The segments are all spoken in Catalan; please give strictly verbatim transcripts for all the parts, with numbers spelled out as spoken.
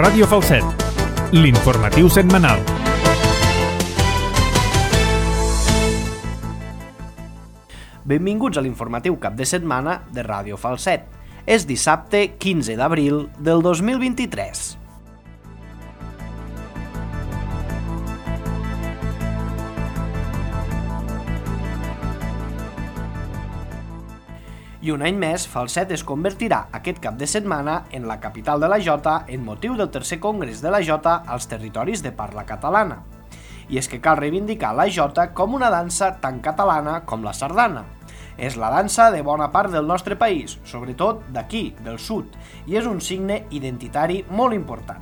Ràdio Falset, l'informatiu setmanal. Benvinguts a l'informatiu cap de setmana de Ràdio Falset. És dissabte quinze d'abril del dos mil vint-i-tres. I un any més, Falset es convertirà aquest cap de setmana en la capital de la Jota en motiu del tercer congrés de la Jota als territoris de parla catalana. I és que cal reivindicar la Jota com una dansa tan catalana com la sardana. És la dansa de bona part del nostre país, sobretot d'aquí, del sud, i és un signe identitari molt important.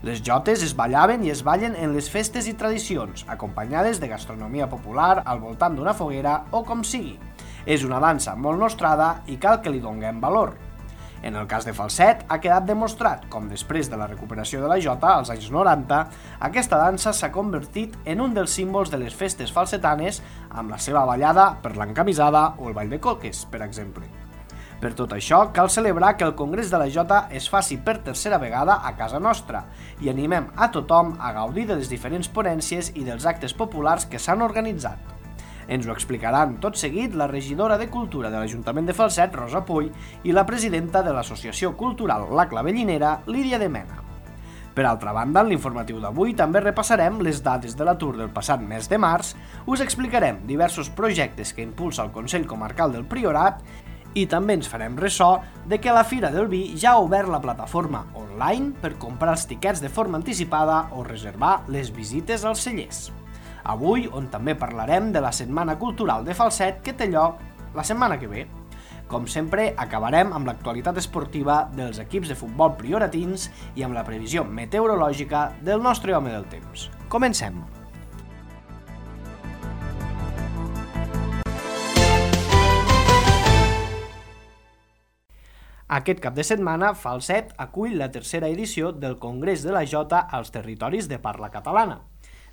Les jotes es ballaven i es ballen en les festes i tradicions, acompanyades de gastronomia popular al voltant d'una foguera o com sigui. És una dansa molt nostrada i cal que li donem valor. En el cas de Falset, ha quedat demostrat com després de la recuperació de la Jota als anys noranta, aquesta dansa s'ha convertit en un dels símbols de les festes falsetanes amb la seva ballada per l'encamisada o el ball de coques, per exemple. Per tot això, cal celebrar que el Congrés de la Jota es faci per tercera vegada a casa nostra i animem a tothom a gaudir de les diferents ponències i dels actes populars que s'han organitzat. Ens ho explicaran tot seguit la regidora de Cultura de l'Ajuntament de Falset, Rosa Puy, i la presidenta de l'Associació Cultural La Clavellinera, Lídia de Mena. Per altra banda, en l'informatiu d'avui també repassarem les dades de l'atur del passat mes de març, us explicarem diversos projectes que impulsa el Consell Comarcal del Priorat i també ens farem ressò de que la Fira del Vi ja ha obert la plataforma online per comprar els tiquets de forma anticipada o reservar les visites als cellers. Avui, on també parlarem de la Setmana Cultural de Falset que té lloc la setmana que ve. Com sempre, acabarem amb l'actualitat esportiva dels equips de futbol prioratins i amb la previsió meteorològica del nostre home del temps. Comencem! Aquest cap de setmana, Falset acull la tercera edició del Congrés de la Jota als territoris de parla catalana.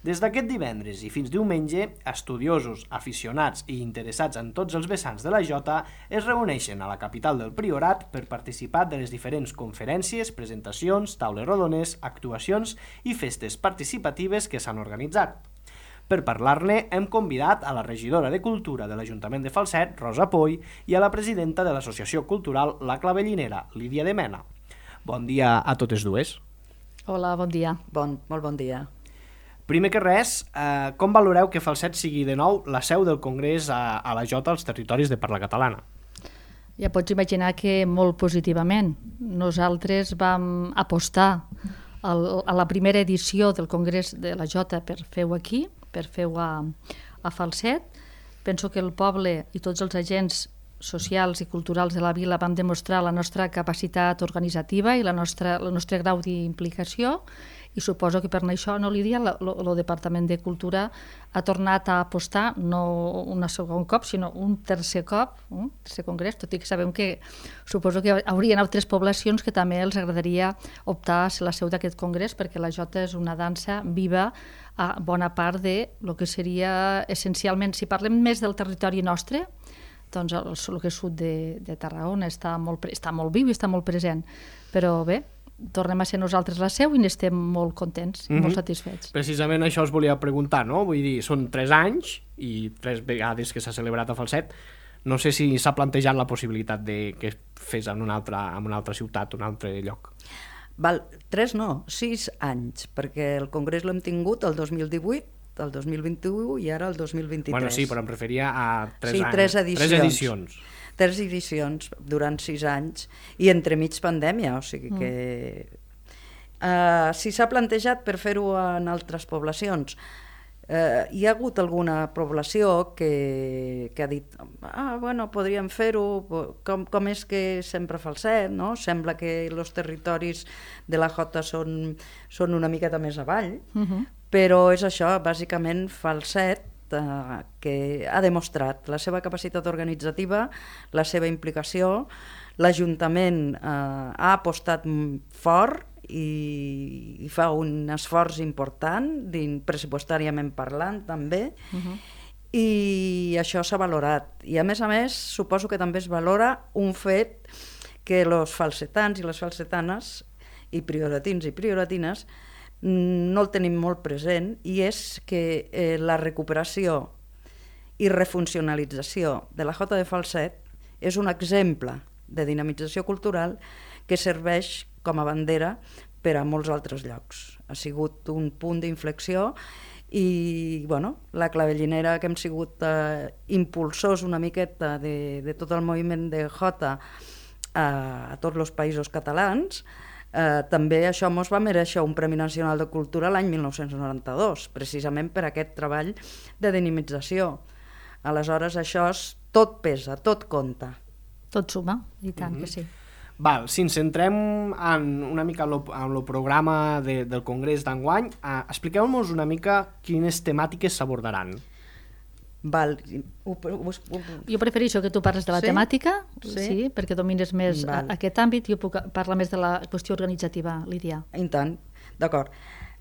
Des d'aquest divendres i fins diumenge, estudiosos, aficionats i interessats en tots els vessants de la Jota es reuneixen a la capital del Priorat per participar de les diferents conferències, presentacions, taules rodones, actuacions i festes participatives que s'han organitzat. Per parlar-ne, hem convidat a la regidora de Cultura de l'Ajuntament de Falset, Rosa Puy, i a la presidenta de l'Associació Cultural La Clavellinera, Lídia de Mena. Bon dia a totes dues. Hola, bon dia. Bon, molt bon dia. Primer que res, eh, com valoreu que Falset sigui de nou la seu del Congrés a, a la Jota als territoris de parla catalana? Ja pots imaginar que molt positivament. Nosaltres vam apostar al, a la primera edició del Congrés de la Jota per fer-ho aquí, per fer-ho a, a Falset. Penso que el poble i tots els agents socials i culturals de la vila van demostrar la nostra capacitat organitzativa i la nostra, el nostre grau d'implicació, i suposo que per això, no, Lídia, el Departament de Cultura ha tornat a apostar no un segon cop, sinó un tercer cop, un tercer congrés, tot i que sabem que suposo que haurien altres poblacions que també els agradaria optar a ser la seu d'aquest congrés, perquè la Jota és una dansa viva a bona part de lo que seria essencialment, si parlem més del territori nostre, doncs el, el que és sud de, de Tarragona està molt, està molt viu i està molt present, però bé, tornem a ser nosaltres la seu i n'estem molt contents, mm-hmm. molt satisfets. Precisament això us volia preguntar, no? Vull dir, són tres anys i tres vegades que s'ha celebrat a Falset. No sé si s'ha plantejat la possibilitat de que es fes en una altra, en una altra ciutat, un altre lloc. Val, tres no, sis anys, perquè el congrés l'hem tingut el dos mil divuit, el dos mil vint-i-u i ara el dos mil vint-i-tres. Bueno, sí, però em referia a tres sí, anys. Tres edicions. Tres edicions. Tres edicions durant sis anys i entremig pandèmia, o sigui que... Mm. Uh, si s'ha plantejat per fer-ho en altres poblacions, uh, hi ha hagut alguna població que, que ha dit ah, bueno, podríem fer-ho, com, com és que sempre Falset, no? Sembla que els territoris de la Jota són, són una miqueta més avall, mm-hmm. però és això, bàsicament Falset, que ha demostrat la seva capacitat organitzativa, la seva implicació. L'Ajuntament eh, ha apostat fort i, i fa un esforç important, pressupostàriament parlant també, uh-huh. i això s'ha valorat. I a més a més, suposo que també es valora un fet que els falsetans i les falsetanes i prioratins i prioratines, no el tenim molt present, i és que eh, la recuperació i refuncionalització de la Jota de Falset és un exemple de dinamització cultural que serveix com a bandera per a molts altres llocs. Ha sigut un punt d'inflexió i bueno, la Clavellinera, que hem sigut eh, impulsors una miqueta de, de tot el moviment de Jota a, a tots els països catalans, Eh, també això ens va mereixer un Premi Nacional de Cultura l'any mil nou-cents noranta-dos, precisament per aquest treball de dinamització. Aleshores, això és, tot pesa, tot compta. Tot suma, i tant mm-hmm. que sí. Val, si ens centrem en una mica en el programa de, del Congrés d'enguany, eh, expliqueu-nos una mica quines temàtiques s'abordaran. Val. Ho, ho, ho... Jo prefereixo que tu parles de la sí? temàtica, sí? sí, perquè domines més a, aquest àmbit, i jo puc parlar més de la qüestió organitzativa, Lídia. I tant, d'acord.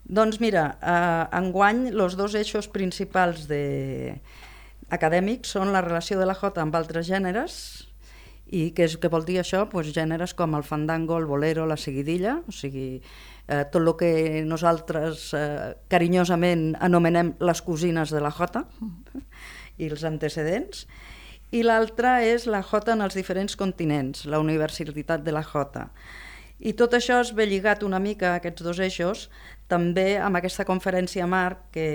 Doncs mira, eh, enguany els dos eixos principals de... acadèmics són la relació de la Jota amb altres gèneres, i què, és, què vol dir això? Pues gèneres com el fandango, el bolero, la seguidilla, o sigui, eh, tot el que nosaltres eh, carinyosament anomenem les cosines de la Jota, i els antecedents, i l'altra és la Jota en els diferents continents, la universitat de la Jota. I tot això es ve lligat una mica a aquests dos eixos, també amb aquesta conferència marc que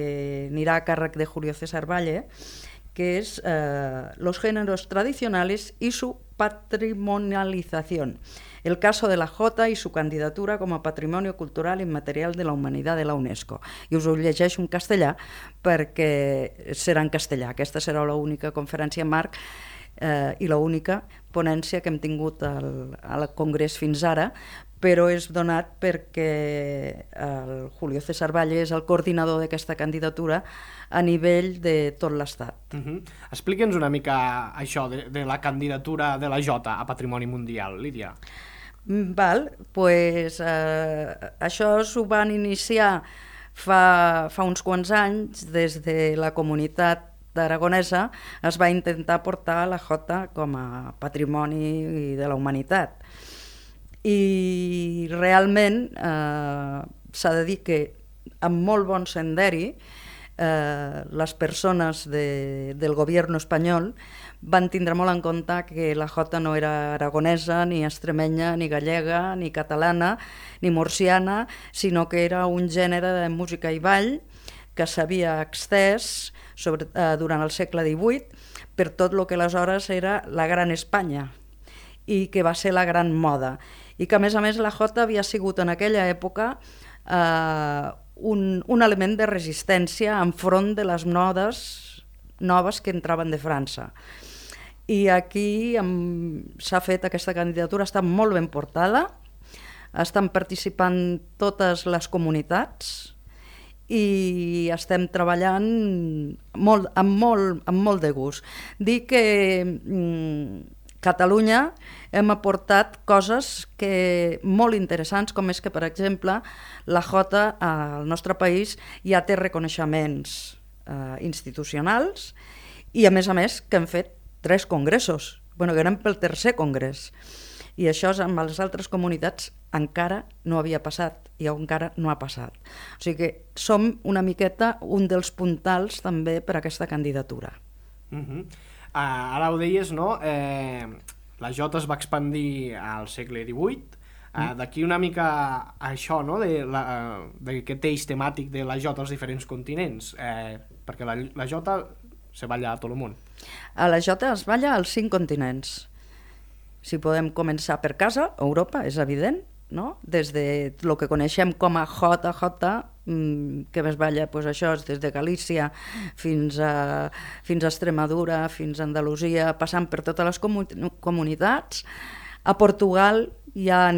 anirà a càrrec de Julio César Valle, que es eh, los géneros tradicionales y su patrimonialización. El caso de la Jota y su candidatura como Patrimonio Cultural Inmaterial de la Humanidad de la UNESCO. I us ho llegeixo en castellà perquè serà en castellà. Aquesta serà l'única conferència marc eh, i l'única ponència que hem tingut al, al Congrés fins ara, però és donat perquè el Julio César Valle és el coordinador d'aquesta candidatura a nivell de tot l'Estat. Uh-huh. Explique'ns una mica això de, de la candidatura de la Jota a Patrimoni Mundial, Lídia. Val, pues, eh, això s'ho van iniciar fa, fa uns quants anys, des de la comunitat aragonesa es va intentar portar la Jota com a patrimoni de la humanitat. I realment eh, s'ha de dir que amb molt bon senderi eh, les persones de, del govern espanyol van tindre molt en compte que la Jota no era aragonesa, ni extremenya, ni gallega, ni catalana, ni murciana, sinó que era un gènere de música i ball que s'havia extès sobre, eh, durant el segle divuit per tot el que aleshores era la Gran Espanya i que va ser la gran moda. I que, a més a més, la Jota havia sigut en aquella època eh, un, un element de resistència enfront de les modes noves que entraven de França. I aquí s'ha fet aquesta candidatura, està molt ben portada, estan participant totes les comunitats i estem treballant molt, amb, molt, amb molt de gust. Dic que mm, Catalunya hem aportat coses que, molt interessants, com és que, per exemple, la Jota al nostre país ja té reconeixements eh, institucionals i, a més a més, que hem fet tres congressos, bueno, que anem pel tercer congrés. I això amb les altres comunitats encara no havia passat i encara no ha passat. O sigui que som una miqueta un dels puntals també per a aquesta candidatura. Uh-huh. Uh, ara ho deies, no? Eh, la Jota es va expandir al segle divuit. Uh, D'aquí una mica a això, no? De la, uh, d'aquest eix temàtic de la Jota als diferents continents, eh, perquè la, la Jota se balla a tot el món. A la Jota es balla als cinc continents. Si podem començar per casa, Europa, és evident, no? Des de el que coneixem com a Jota, Jota, que es balla, pues això és des de Galícia fins a, fins a Extremadura, fins a Andalusia, passant per totes les comu comunitats. A Portugal hi ha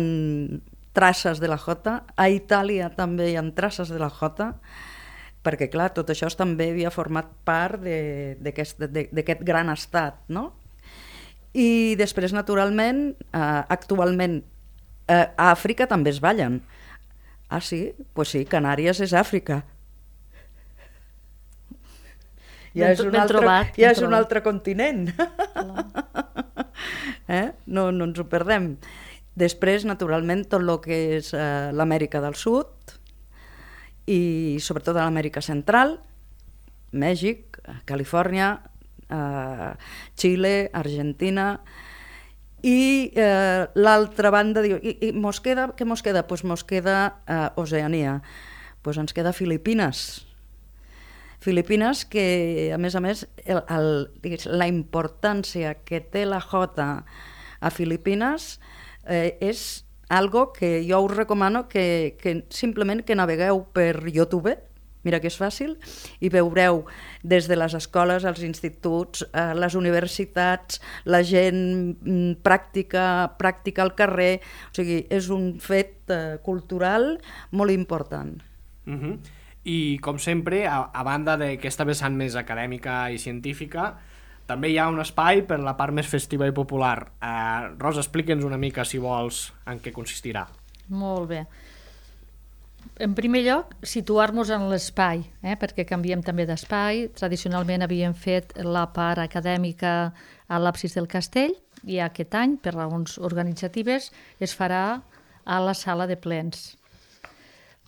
traces de la Jota, a Itàlia també hi ha traces de la Jota, perquè clar, tot això també havia format part d'aquest gran estat, no? I després, naturalment, eh, actualment eh, a Àfrica també es ballen. Ah, sí? Doncs pues sí, Canàries és Àfrica. Ja és un, altre, trobat, ja és un altre continent. eh? no, no ens ho perdem. Després, naturalment, tot el que és eh, l'Amèrica del Sud i sobretot a l'Amèrica Central, Mèxic, Califòrnia, eh, Xile, Argentina, i eh, l'altra banda diu, i, i mos queda, què mos queda? Pues mos queda eh, Oceania, pues ens queda Filipines. Filipines que, a més a més, el, el, la importància que té la jota a Filipines eh, és algo que jo us recomano que, que simplement que navegueu per YouTube, mira que és fàcil, i veureu des de les escoles, els instituts, eh, les universitats, la gent mm, pràctica, pràctica al carrer, o sigui, és un fet eh, cultural molt important. Uh-huh. I, com sempre, a, a banda d'aquesta vessant més acadèmica i científica, també hi ha un espai per la part més festiva i popular. Eh, Rosa, explica'ns una mica, si vols, en què consistirà. Molt bé. En primer lloc, situar-nos en l'espai, eh? perquè canviem també d'espai. Tradicionalment havíem fet la part acadèmica a l'absis del castell i aquest any, per raons organitzatives, es farà a la sala de plens.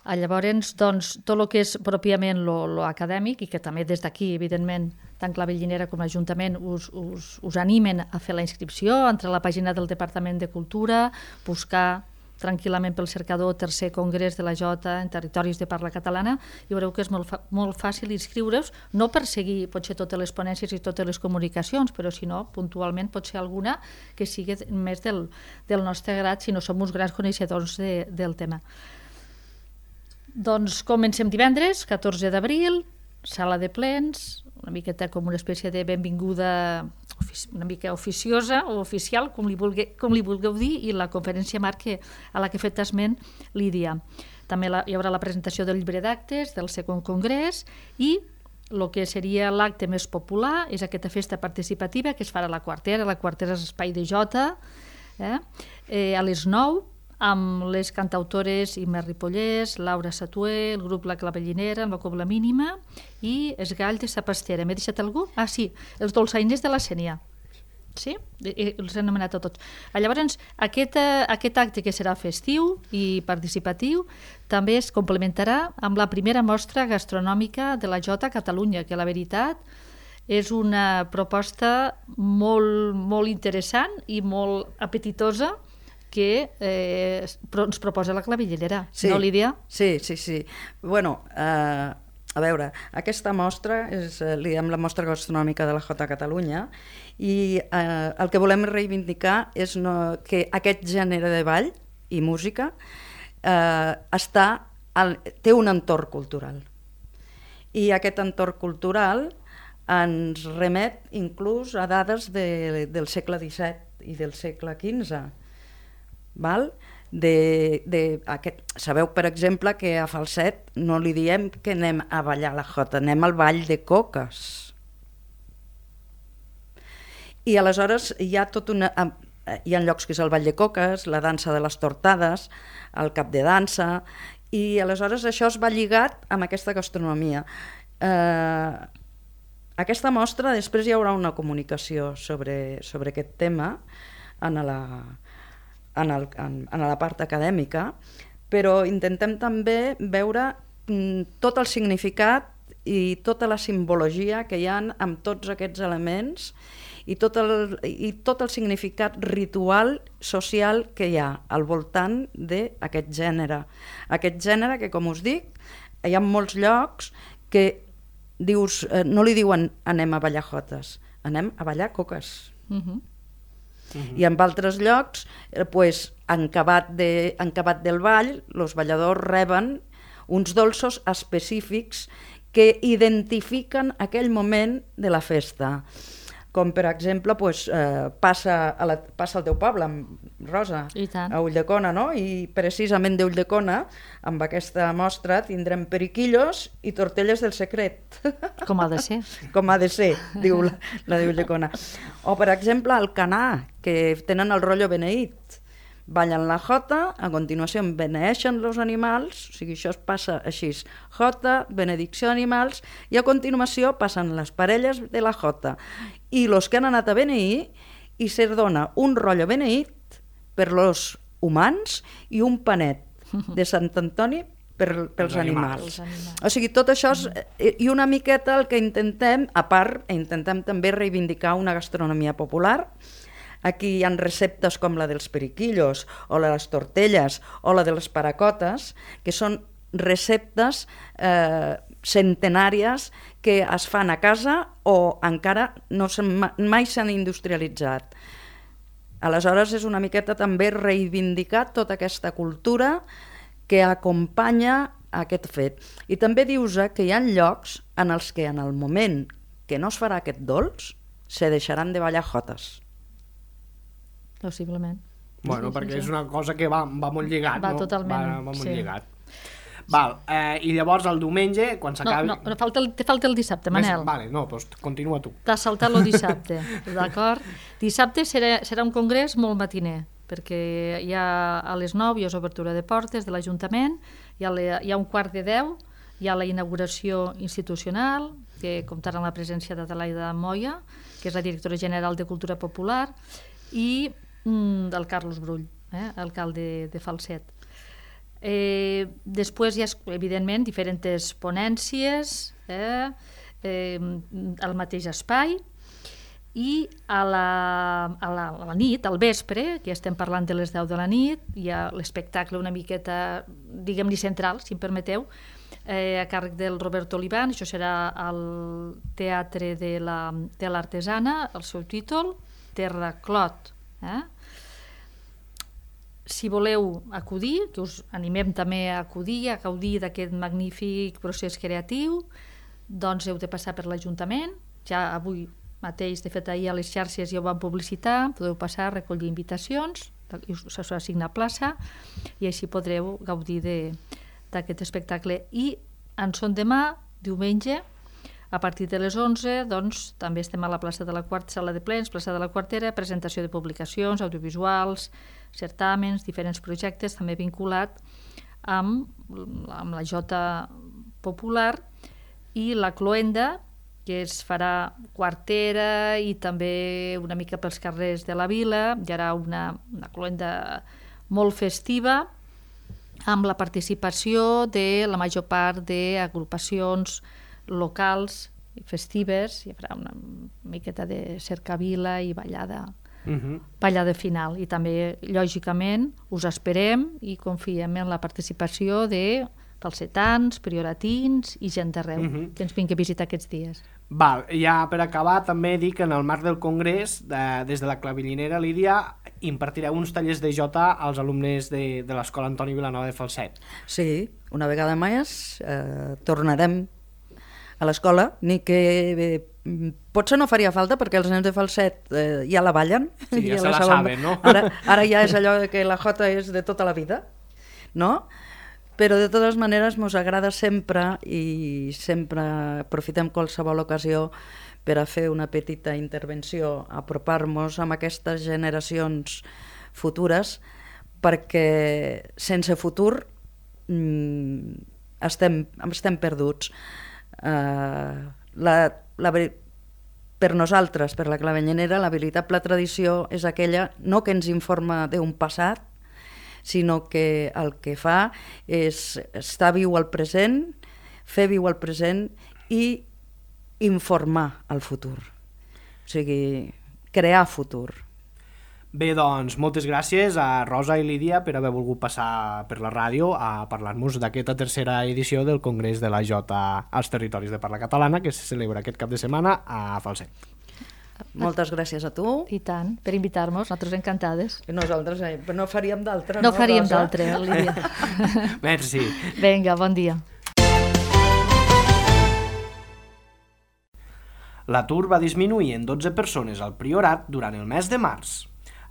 Llavors, doncs, tot el que és pròpiament lo acadèmic, i que també des d'aquí, evidentment, tant Clavellinera com l'Ajuntament us, us, us animen a fer la inscripció, entre la pàgina del Departament de Cultura, buscar tranquil·lament pel cercador tercer congrés de la Jota en territoris de parla catalana, i veureu que és molt, molt fàcil inscriure-us, no per seguir potser totes les ponències i totes les comunicacions, però si no, puntualment pot ser alguna que sigui més del, del nostre grat, si no som uns grans coneixedors de, del tema. Doncs comencem divendres, catorze d'abril, sala de plens, una miqueta com una espècie de benvinguda una mica oficiosa o oficial, com li, vulgue, com li vulgueu dir, i la conferència marc a la que he fet esment Lídia. També la, hi haurà la presentació del llibre d'actes del segon congrés i el que seria l'acte més popular és aquesta festa participativa que es farà a la Quartera. La Quartera és espai de jota, eh? Eh, a les nou, amb les cantautores Imma Ripollès, Laura Satué, el grup La Clavellinera, amb la Cobla Mínima i els Gall de Sa Pastera. M'he deixat algú? Ah, sí, els dolçainers de la Sénia. Sí? Els he anomenat a tots. Llavors, aquest, aquest acte que serà festiu i participatiu també es complementarà amb la primera mostra gastronòmica de la Jota a Catalunya, que la veritat és una proposta molt, molt interessant i molt apetitosa que eh, ens proposa la Clavellinera, sí, no, Lídia? Sí, sí, sí. Bueno, eh, a veure, aquesta mostra és, eh, li diem la mostra gastronòmica de la Jota Catalunya, i eh, el que volem reivindicar és no, que aquest gènere de ball i música eh, està al, té un entorn cultural. I aquest entorn cultural ens remet inclús a dades de, del segle disset i del segle quinze. Val? De, de aquest, sabeu, per exemple, que a Falset no li diem que anem a ballar la jota, anem al ball de coques. I aleshores hi ha tot una... Hi ha llocs que és el ball de coques, la dansa de les tortades, el cap de dansa, i aleshores això es va lligat amb aquesta gastronomia. Eh, aquesta mostra, després hi haurà una comunicació sobre, sobre aquest tema en la... En, el, en, en la part acadèmica, però intentem també veure mm, tot el significat i tota la simbologia que hi ha amb tots aquests elements i tot el, i tot el significat ritual social que hi ha al voltant d'aquest gènere. Aquest gènere que, com us dic, hi ha molts llocs que dius, eh, no li diuen anem a ballar jotes, anem a ballar coques. Uh-huh. Uh-huh. I en altres llocs, eh, pues, en acabat, de, en acabat del ball, els balladors reben uns dolços específics que identifiquen aquell moment de la festa. Com, per exemple, pues, eh, passa, a la, passa al teu poble, Rosa, a Ulldecona, no? I precisament d'Ulldecona, amb aquesta mostra, tindrem periquillos i tortelles del secret. Com ha de ser. Com ha de ser, diu la, la d'Ulldecona. O, per exemple, al Canà, que tenen el rotllo beneït. Ballen la jota, a continuació beneeixen els animals, o sigui, això es passa així, jota, benedicció d'animals, i a continuació passen les parelles de la jota i els que han anat a beneir, i se dona un rotllo beneït per los humans i un panet de Sant Antoni per, pels animals. animals. O sigui, tot això és, i una miqueta el que intentem, a part, intentem també reivindicar una gastronomia popular. Aquí hi ha receptes com la dels periquillos o la de les tortelles o la de les paracotes, que són receptes eh, centenàries que es fan a casa o encara no mai s'han industrialitzat. Aleshores és una miqueta també reivindicar tota aquesta cultura que acompanya aquest fet. I també dius que hi ha llocs en els que en el moment que no es farà aquest dolç se deixaran de ballar jotes. Possiblement. Bueno, sí, perquè sí, és sí. una cosa que va, va molt lligat, Va no? totalment, Va, va molt sí. lligat. Val, eh, i llavors el diumenge, quan No, s'acabi... no, no falta el, te falta el dissabte, Manel. Vale, no, doncs continua tu. T'has saltat el dissabte, d'acord? Dissabte serà, serà un congrés molt matiner, perquè hi ha a les nou hi ha obertura de portes de l'Ajuntament, hi, hi ha un quart de deu, hi ha la inauguració institucional, que comptarà amb la presència d'Adelaida Moya, que és la directora general de Cultura Popular, i mm, del Carlos Brull, eh, alcalde de Falset. Eh, després hi ha, evidentment, diferents ponències eh, eh, al mateix espai, i a la, a, la, a la nit, al vespre, que ja estem parlant de les deu de la nit, hi ha l'espectacle una miqueta, diguem-ne central, si em permeteu, eh, a càrrec del Roberto Oliván. Això serà al Teatre de l'Artesana, la, el seu títol, Terra Clot. Eh? Si voleu acudir, que us animem també a acudir, a gaudir d'aquest magnífic procés creatiu, doncs heu de passar per l'Ajuntament. Ja avui mateix, de fet ahir a les xarxes ja ho van publicitar, podeu passar a recollir invitacions, us assigna plaça i així podreu gaudir d'aquest espectacle. I en son demà, diumenge, a partir de les onze, doncs, també estem a la plaça de la Quarta, sala de plens, plaça de la Quartera, presentació de publicacions, audiovisuals, certàmens, diferents projectes, també vinculat amb, amb la Jota Popular i la Cloenda, que es farà quartera i també una mica pels carrers de la vila. Hi haurà una, una cloenda molt festiva amb la participació de la major part d'agrupacions locals i festives. Hi haurà una miqueta de cercavila i ballada, uh-huh. ballada final. I també, lògicament, us esperem i confiem en la participació de falsetans, prioratins i gent d'arreu uh-huh. que ens vingui a visitar aquests dies. Val, ja per acabar també dic que en el marc del congrés, de, des de la clavillinera Lídia, impartireu uns tallers de jota als alumnes de, de l'Escola Antoni Vilanova de Falset. Sí, una vegada més eh, tornarem a l'escola, ni que eh, potser no faria falta perquè els nens de Falset eh, ja la ballen. Sí, ja, ja se la saben, saben, no? Ara, ara ja és allò que la jota és de tota la vida, no? Però de totes maneres ens agrada sempre i sempre aprofitem qualsevol ocasió per a fer una petita intervenció, apropar-nos amb aquestes generacions futures, perquè sense futur mmm, estem, estem perduts. Uh, la, la, per nosaltres, per la clavellinera, la veritable tradició és aquella no que ens informa d'un passat, sinó que el que fa és estar viu al present, fer viu al present i informar el futur. O sigui, crear futur. Bé, doncs, moltes gràcies a Rosa i Lídia per haver volgut passar per la ràdio a parlar-nos d'aquesta tercera edició del Congrés de la Jota als Territoris de Parla Catalana que se celebra aquest cap de setmana a Falset. Moltes gràcies a tu. I tant, per invitar-nos, nosaltres encantades. Nosaltres eh, no faríem d'altre, no? No faríem Rosa? d'altre, Lídia. Merci. Vinga, bon dia. L'atur va disminuir en dotze persones al Priorat durant el mes de març.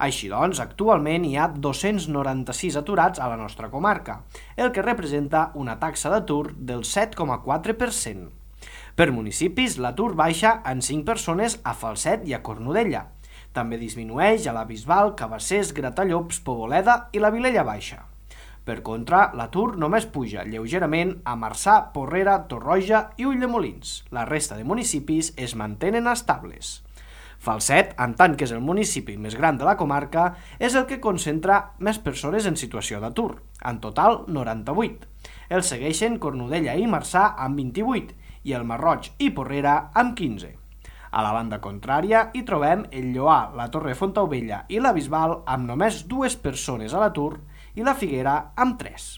Així doncs, actualment hi ha dos-cents noranta-sis aturats a la nostra comarca, el que representa una taxa d'atur del set coma quatre per cent. Per municipis, l'atur baixa en cinc persones a Falset i a Cornudella. També disminueix a la Bisbal, Cabassers, Gratallops, Poboleda i la Vilella Baixa. Per contra, l'atur només puja lleugerament a Marçà, Porrera, Torroja i Ulldemolins. La resta de municipis es mantenen estables. Falset, en tant que és el municipi més gran de la comarca, és el que concentra més persones en situació d'atur, en total noranta-vuit. El segueixen Cornudella i Marçà amb vint-i-vuit i el Masroig i Porrera amb quinze. A la banda contrària hi trobem el Lloar, la Torre Fontaubella i la Bisbal amb només dues persones a l'atur i la Figuera amb tres.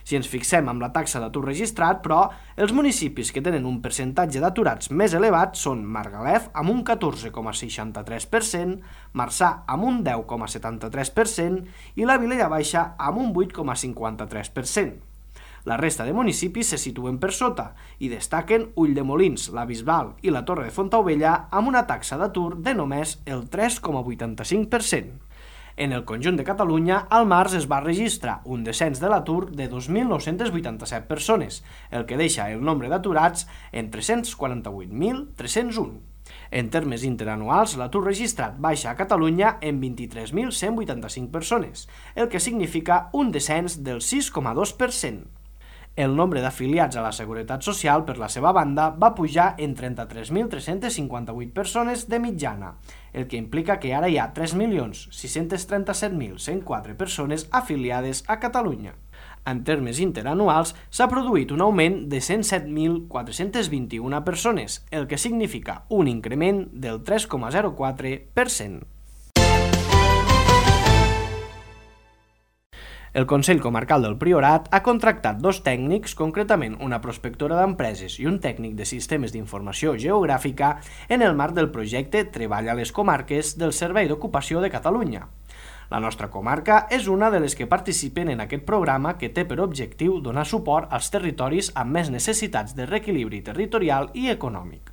Si ens fixem amb la taxa d'atur registrat, però, els municipis que tenen un percentatge d'aturats més elevat són Margalef amb un catorze coma seixanta-tres per cent, Marçà amb un deu coma setanta-tres per cent i la Vilella Baixa amb un vuit coma cinquanta-tres per cent. La resta de municipis se situen per sota i destaquen Ulldemolins, la Bisbal i la Torre de Fontaubella amb una taxa d'atur de només el tres coma vuitanta-cinc per cent. En el conjunt de Catalunya, al març es va registrar un descens de l'atur de dos mil nou-cents vuitanta-set persones, el que deixa el nombre d'aturats en tres-cents quaranta-vuit mil tres-cents un. En termes interanuals, l'atur registrat baixa a Catalunya en vint-i-tres mil cent vuitanta-cinc persones, el que significa un descens del sis coma dos per cent. El nombre d'afiliats a la Seguretat Social, per la seva banda, va pujar en trenta-tres mil tres-cents cinquanta-vuit persones de mitjana, el que implica que ara hi ha tres milions sis-cents trenta-set mil cent quatre persones afiliades a Catalunya. En termes interanuals, s'ha produït un augment de cent set mil quatre-cents vint-i-una persones, el que significa un increment del tres coma zero quatre per cent. El Consell Comarcal del Priorat ha contractat dos tècnics, concretament una prospectora d'empreses i un tècnic de sistemes d'informació geogràfica, en el marc del projecte Treball a les Comarques del Servei d'Ocupació de Catalunya. La nostra comarca és una de les que participen en aquest programa que té per objectiu donar suport als territoris amb més necessitats de reequilibri territorial i econòmic.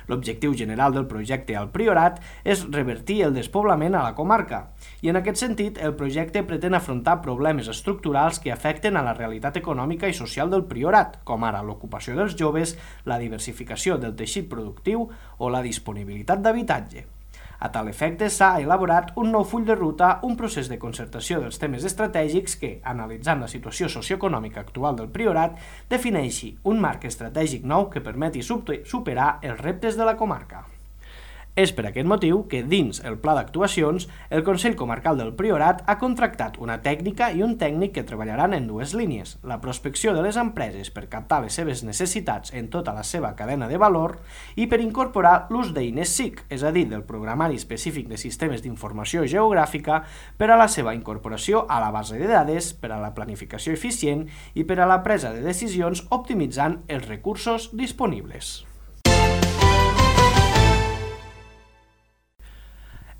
L'objectiu general del projecte al Priorat és revertir el despoblament a la comarca i en aquest sentit el projecte pretén afrontar problemes estructurals que afecten a la realitat econòmica i social del Priorat, com ara l'ocupació dels joves, la diversificació del teixit productiu o la disponibilitat d'habitatge. A tal efecte, s'ha elaborat un nou full de ruta, un procés de concertació dels temes estratègics que, analitzant la situació socioeconòmica actual del Priorat, defineixi un marc estratègic nou que permeti superar els reptes de la comarca. És per aquest motiu que, dins el pla d'actuacions, el Consell Comarcal del Priorat ha contractat una tècnica i un tècnic que treballaran en dues línies, la prospecció de les empreses per captar les seves necessitats en tota la seva cadena de valor i per incorporar l'ús d'eines S I C, és a dir, del Programari Específic de Sistemes d'Informació Geogràfica, per a la seva incorporació a la base de dades, per a la planificació eficient i per a la presa de decisions optimitzant els recursos disponibles.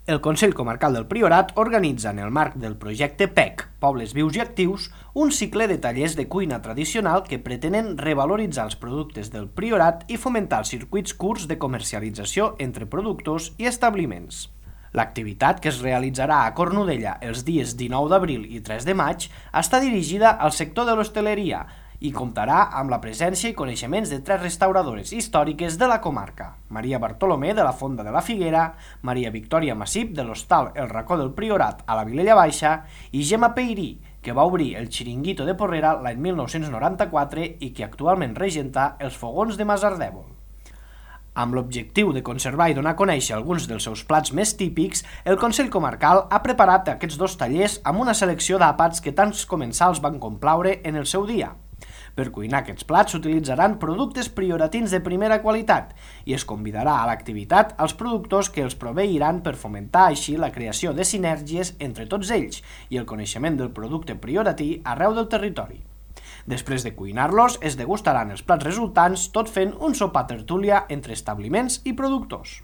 El Consell Comarcal del Priorat organitza en el marc del projecte P E C, Pobles Vius i Actius, un cicle de tallers de cuina tradicional que pretenen revaloritzar els productes del Priorat i fomentar els circuits curts de comercialització entre productors i establiments. L'activitat, que es realitzarà a Cornudella els dies dinou d'abril i tres de maig, està dirigida al sector de l'hostaleria i comptarà amb la presència i coneixements de tres restauradores històriques de la comarca: Maria Bartolomé, de la Fonda de la Figuera, Maria Victòria Massip, de l'Hostal El Racó del Priorat, a la Vilella Baixa, i Gemma Peirí, que va obrir el Xiringuito de Porrera l'any mil nou-cents noranta-quatre i que actualment regenta els fogons de Masardèvol. Amb l'objectiu de conservar i donar a conèixer alguns dels seus plats més típics, el Consell Comarcal ha preparat aquests dos tallers amb una selecció d'àpats que tants comensals van complaure en el seu dia. Per cuinar aquests plats s'utilitzaran productes prioratins de primera qualitat i es convidarà a l'activitat als productors que els proveiran per fomentar així la creació de sinergies entre tots ells i el coneixement del producte prioratí arreu del territori. Després de cuinar-los, es degustaran els plats resultants tot fent un sopar tertúlia entre establiments i productors.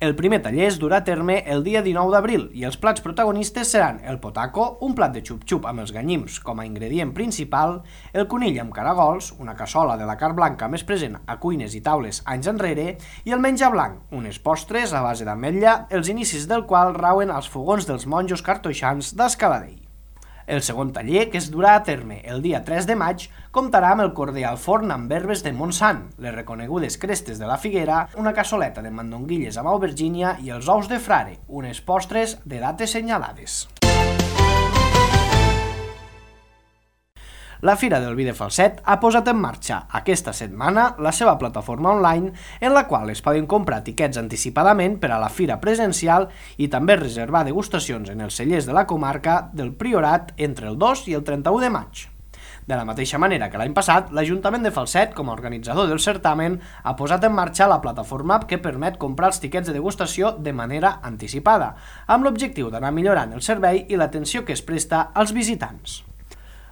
El primer taller es durà a terme el dia dinou d'abril i els plats protagonistes seran el potaco, un plat de xup-xup amb els ganyims com a ingredient principal, el conill amb caragols, una cassola de la carn blanca més present a cuines i taules anys enrere, i el menjar blanc, unes postres a base d'ametlla, els inicis del qual rauen als fogons dels monjos cartoixans d'Escaladell. El segon taller, que es durà a terme el dia tres de maig, comptarà amb el corder al forn amb herbes de Montsant, les reconegudes crestes de la Figuera, una cassoleta de mandonguilles amb aubergínia i els ous de frare, unes postres de dates senyalades. La Fira del Vi de Falset ha posat en marxa aquesta setmana la seva plataforma online en la qual es poden comprar tiquets anticipadament per a la fira presencial i també reservar degustacions en els cellers de la comarca del Priorat entre el dos i el trenta-u de maig. De la mateixa manera que l'any passat, l'Ajuntament de Falset, com a organitzador del certamen, ha posat en marxa la plataforma que permet comprar els tiquets de degustació de manera anticipada, amb l'objectiu d'anar millorant el servei i l'atenció que es presta als visitants.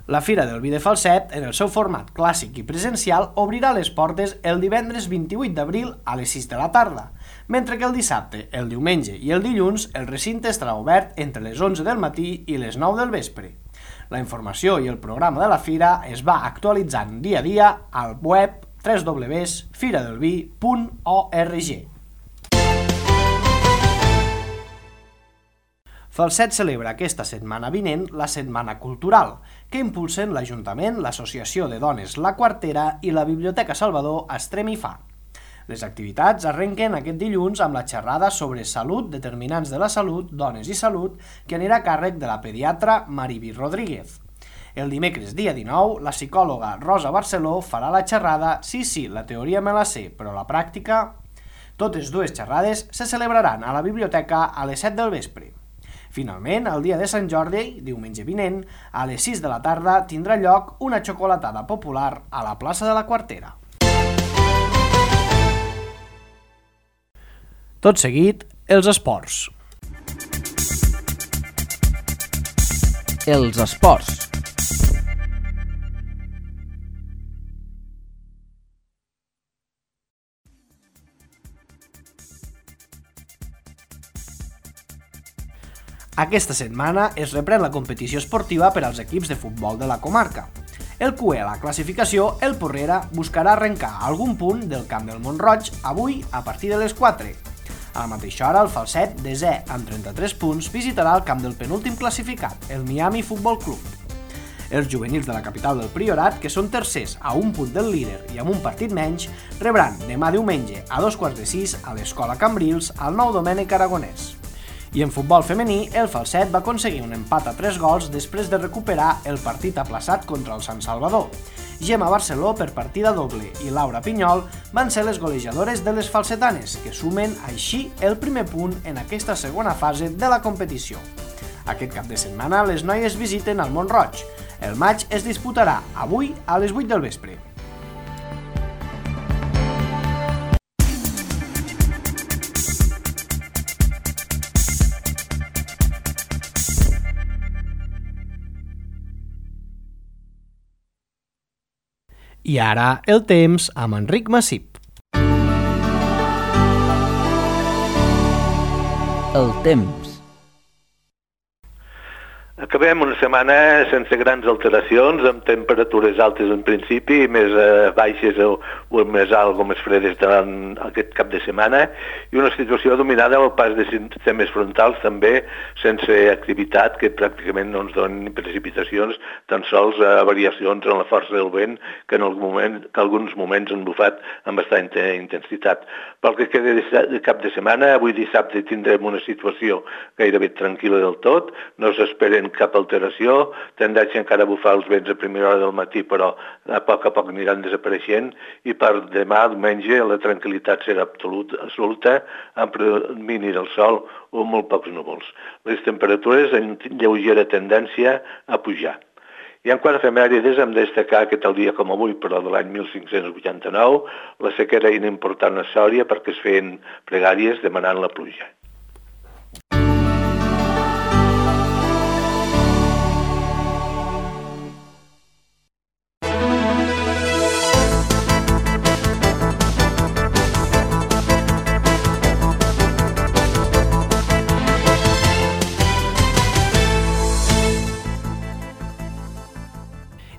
La Fira del Vi de Falset, en el seu format clàssic i presencial, obrirà les portes el divendres vint-i-vuit d'abril a les sis de la tarda, mentre que el dissabte, el diumenge i el dilluns el recinte estarà obert entre les onze del matí i les nou del vespre. La informació i el programa de la fira es va actualitzant dia a dia al web w w w punt fira del vi punt org. Falset celebra aquesta setmana vinent la Setmana Cultural, que impulsen l'Ajuntament, l'Associació de Dones La Quartera i la Biblioteca Salvador Estrem i Fa. Les activitats arrenquen aquest dilluns amb la xerrada sobre salut, determinants de la salut, dones i salut, que anirà a càrrec de la pediatra Mariví Rodríguez. El dimecres dia dinou, la psicòloga Rosa Barceló farà la xerrada Sí, sí, la teoria me la sé, però la pràctica... Totes dues xerrades se celebraran a la biblioteca a les set del vespre. Finalment, el dia de Sant Jordi, diumenge vinent, a les sis de la tarda tindrà lloc una xocolatada popular a la plaça de la Quartera. Tot seguit, els esports. Els esports. Aquesta setmana es reprèn la competició esportiva per als equips de futbol de la comarca. El cué a la classificació, el Porrera, buscarà arrencar algun punt del camp del Mont-roig avui a partir de les quatre. A la mateixa hora, el Falset, desè amb trenta-tres punts, visitarà el camp del penúltim classificat, el Miami Futbol Club. Els juvenils de la capital del Priorat, que són tercers a un punt del líder i amb un partit menys, rebran demà diumenge a dos quarts de sis a l'Escola Cambrils al Nou Domènec Aragonès. I en futbol femení, el Falset va aconseguir un empat a tres gols després de recuperar el partit aplaçat contra el Sant Salvador. Gemma Barceló per partida doble i Laura Pinyol van ser les golejadores de les falsetanes, que sumen així el primer punt en aquesta segona fase de la competició. Aquest cap de setmana les noies visiten el Mont-roig. El matx es disputarà avui a les vuit del vespre. I ara el temps amb Enric Massip. El temps. Acabem una setmana sense grans alteracions, amb temperatures altes en principi, més eh, baixes o, o més alt o més fredes durant aquest cap de setmana, i una situació dominada al pas de sistemes frontals també, sense activitat, que pràcticament no ens donen precipitacions, tan sols eh, variacions en la força del vent, que en algun moment, que alguns moments han bufat amb bastanta intensitat. Pel que queda de cap de setmana, avui dissabte tindrem una situació gairebé tranquil·la del tot, no s'esperen cap alteració, tendència encara a bufar els vents a primera hora del matí, però a poc a poc aniran desapareixent, i per demà, diumenge, la tranquil·litat serà absoluta, absoluta amb predomini del sol o molt pocs núvols. Les temperatures en lleugera tendència a pujar. I en quant a efemèrides, hem de destacar que tal dia com avui, però de l'any mil cinc-cents vuitanta-nou, la sequera era important a Sòria perquè es feien pregàries demanant la pluja.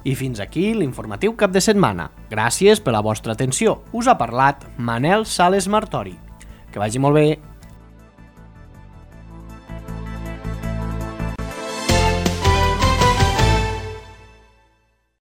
I fins aquí l'informatiu cap de setmana. Gràcies per la vostra atenció. Us ha parlat Manel Sales Martori. Que vagi molt bé.